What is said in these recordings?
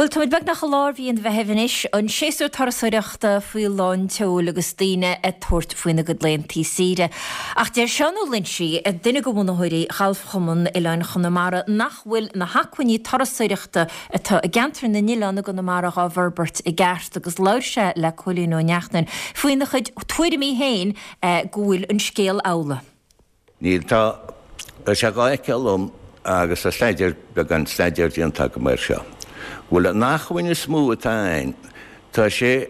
Bhuel, táimid beagnach i lár mhí an Mheithimh anois, an séasúr turasóireachta faoi lán tseoil agus daoine ag tabhairt faoina gcuid laethanta saoire. Ach deir Seán Ó Loinsigh, duine de bhunaitheoirí Ghalfchumann Oileáin Chonamara, nach bhfuil na hacmhainní turasóireachta atá i gceantar na n-oileán i gConamara dhá bhforbairt i gceart agus labhair sé le Cóilín Ó Neachtain faoina chuid tuairimí féin go bhfuil an scéal amhlaidh. Níl, tá, tá sé dhá fheiceáil liom agus tá staidéar, beagán staidéir déanta agam air seo, go bhfuil an achmhainn is mó atá ann, tá sé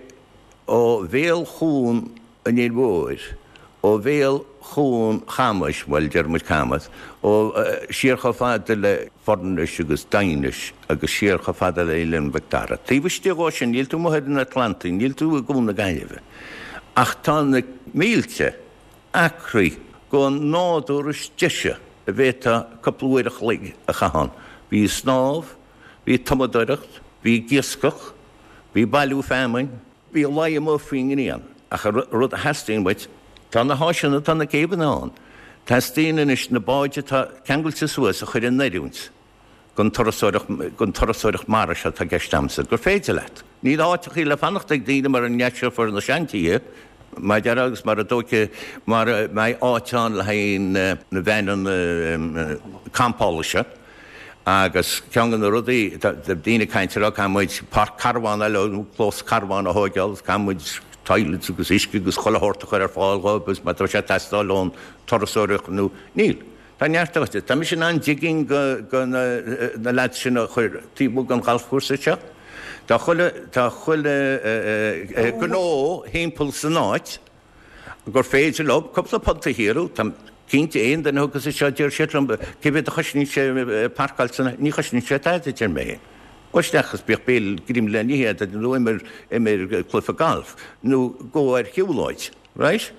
ó bhéal Chuan an Fhir Mhóir, ó bhéal Chuan Chamais, bhuel, deir muid Camas, ó, siar chomh fada le Foirnis agus Daighinis agus siar chomh fada le Oileán Mhic Dara. Taobh istigh dhó sin, níl tú amuigh ar an Atlantaigh, níl tú i gCuan na Gaillimhe, ach tá na mílte, acraí den nádúr is deise a bhféadfá cúpla uair a chloig a chaitheamh ann. Bí ag snámh, bí ag tumadóireacht, bí ag iascach, bí ag bailiú feamainn, bí ag luí amuigh faoin ngrian. Ach an rud a theastaíonn uait, tá na háiseanna, tá na céibheanna ann. Teastaíonn anois na báid atá ceangailte suas a chur in oiriúint. don turasóireacht, don turasóireacht mara seo atá i gceist agamsa, gur féidir leat. Níl áiteachaí le fanacht ag daoine mara ndeiseofar na seantithe, mar a déarfá, agus mara dtóigfidh, mara mbeidh áit ann le haghaidh na veaineanna campála seo. Agus ceann de na rudaí, tá daoine ag caint ag rá, caithfidh muid páirc carbhán eile nó clós carbhán a thóigeáil agus caithfidh muid toilets agus uisce agus chuile shórt a chur ar fáil dhóibh agus má tá sé ag teastáil ón turasóireacht nó níl. Tá neart áite. Tá mise in ann digging go na lads sin a chuir taobh amuigh den ghalfchúrsa seo. Tá chuile, tá chuile gnó thimpeall san áit gur féidir leo cúpla punt a shaothrú. Tá cinnte aon duine a thiocfas anseo deir siad liom cé mhéad a chosnaíonn sé parcáil san, ní chosnaíonn sé tada a deir mé féin. Gabh isteach agus bíodh béile greim le n-ithe agat nó imir, imir cluiche gailf nó gabh ar shiúlóid, right?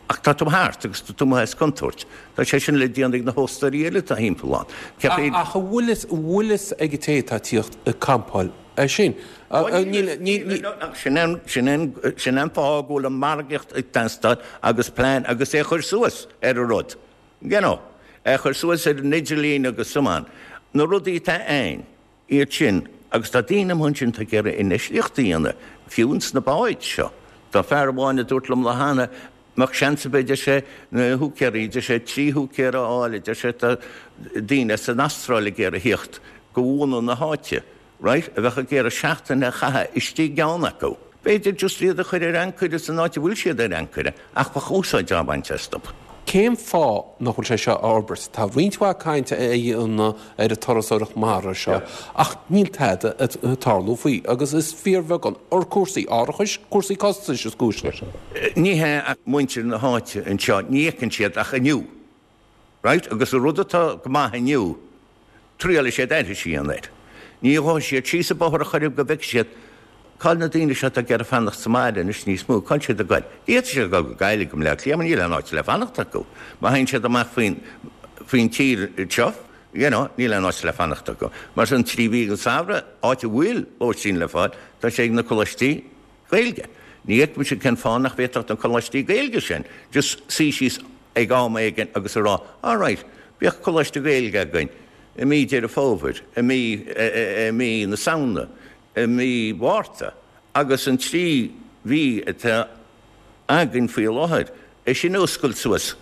Ach tá tú thart agus tá tú amuigh as contúirt. Tá sé sin le déanamh ag na hóstóirí eile atá thimpeall ann. Ach an bhfuil fhios, an bhfuil fhios ag an té atá ag tíocht ag campáil é sin? Níl, níl, níl. Sin an, sin an, sin an fáth go bhfuil an margaíocht ag teastáil agus plean agus é a chur suas ar an rud. You know, é a chur suas ar an idirlíon agus so on. Na rudaí atá ann. iad sin, agus tá daoine amuigh ansin atá ag iarraidh infheistíocht a dhéanamh, fiú ins na báid seo. Tá fear amháin a dúirt liom lá cheana, mbeadh seans ar bith, a deir sé, na húicéirí, a deir sé, 3 húicéir a fháil, a deir sé, tá daoine as an Astráil ag iarraidh theacht go bhunadh na háite, right, a bheadh ag iarraidh seachtain a chaitheamh istigh i gceann acu. B'fhéidir just iad a chur ar ancaire san áit a bhfuil siad ar ancaire, ach bheadh úsáid á baint astu. Cén fáth nach bhfuil sé seo á fhorbairt? Tá roinnt mhaith cainte á dhéanamh ar an turasóireacht mara seo ach níl tada ag tarlú faoi agus is fíorbheagán ar cúrsaí árachais, cúrsaí costais is cúis leis. Ní hea ach muintir na háite anseo, ní fheiceann siad ach inniu. Right? Agus an rud atá go maith inniu, triailfidh siad aithris a dhéanamh air. Ní ghabhfaidh siad síos an bóthar ar chor ar bith go bhfeicfidh siad cá'il na daoine seo atá ag iarraidh fanacht sa mbaile anois níos mó, cá'il siad ag goil? D'fhéadfadh siad dul go Gaillimh, go Bleá Cliath, mar níl aon áit le fanacht acu. Má théann siad amach faoin, faoin tír anseo, you know, níl aon áit le fanacht acu. Mar sin, 3 mhí den samhradh, áit a bhfuil lóistín le fáil, tá sé ag na coláistí Gaeilge. Ní fheicimse cén fáth nach bhféadfadh na coláistí Gaeilge sin just suí síos ag am éigin agus a rá, all right, bíodh coláiste Gaeilge againn i mí Deireadh Fómhair, i mí, i mí na Samhna, i mí Mhárta agus an 3 mhí atá againn faoi láthair, é sin a oscailt suas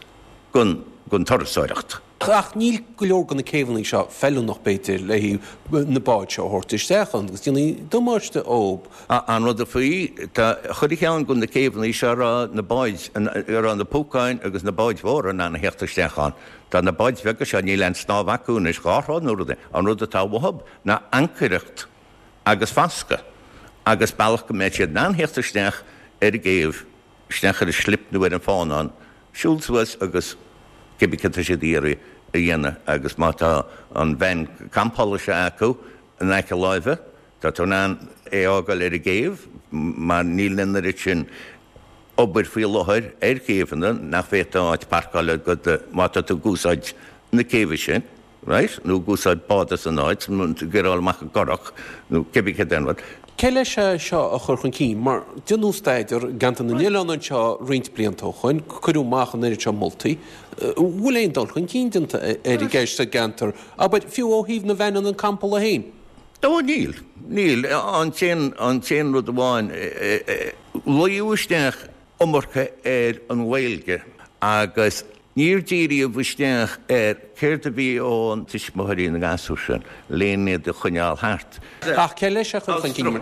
don, don turasóireacht. Ach níl go leor de na céibheanna seo feiliúnach, b'fhéidir, le haghaidh na báid seo a thabhairt isteach ann agus déanfaidh damáiste dóibh. An rud faoi, tá chuile cheann de na céibheanna seo a raibh na báid, a raibh na púcáin agus na báid mhóra in ann a theacht isteach ann. Tá na báid bheaga seo, níl aon snámh acu anois, dhá throigh nó rud. An rud atá uathub ná ancaireacht agus fascadh agus bealach go mbeidh siad in ann theacht isteach ar an gcéibh. isteach ar an slip nó ar an fánán, siúl suas agus cibé céard tá siad ag iarraidh a dhéanamh agus má tá an veain campála seo acu in aice láimhe, tá tú in ann é a fhágáil ar an gcéibh mar níl an oiread sin obair faoi láthair ar chéibheanna nach bhféadfá áit parcála agat má tá tú ag úsáid na céibhe sin. Right? Nó ag úsáid bád as an áit, nó ag iarraidh amach i gcurach, nó cibé céard é an rud. Cé leis é seo a chur chun cinn? Mar déanadh staidéar i gceantar na n-oileán anseo roinnt blianta ó shoin, cuireadh amach an oiread seo moltaí. An bhfuil aon dul chun cinn déanta ar an gceist sa gceantar, abair, fiú ó thaobh na veaineanna campála féin? Ó níl, níl. An t-aon, an t-aon rud amháin, luíodh isteach iomarca ar an nGaeilge agus níor díríodh isteach ar céard a bhí ó na tuismitheoirí na ngasúr sin len iad a choinneáil thart. Ach cé leis a chur chun cinn?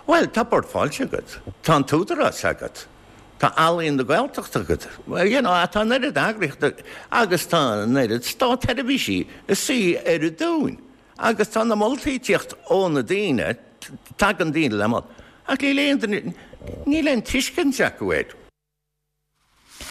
Bhuel, tá Bord Fáilte agat, tá an tÚdarás agat, tá Ealaín na Gaeltachta agat, you know, tá an oiread eagraíochta agus tá an oiread státsheirbhísí ag suí ar an dúinn. Agus tá na moltaí ag tíocht ó na daoine, tagann daoine le moladh, ach níl aon duine, níl aon tuiscint acu air.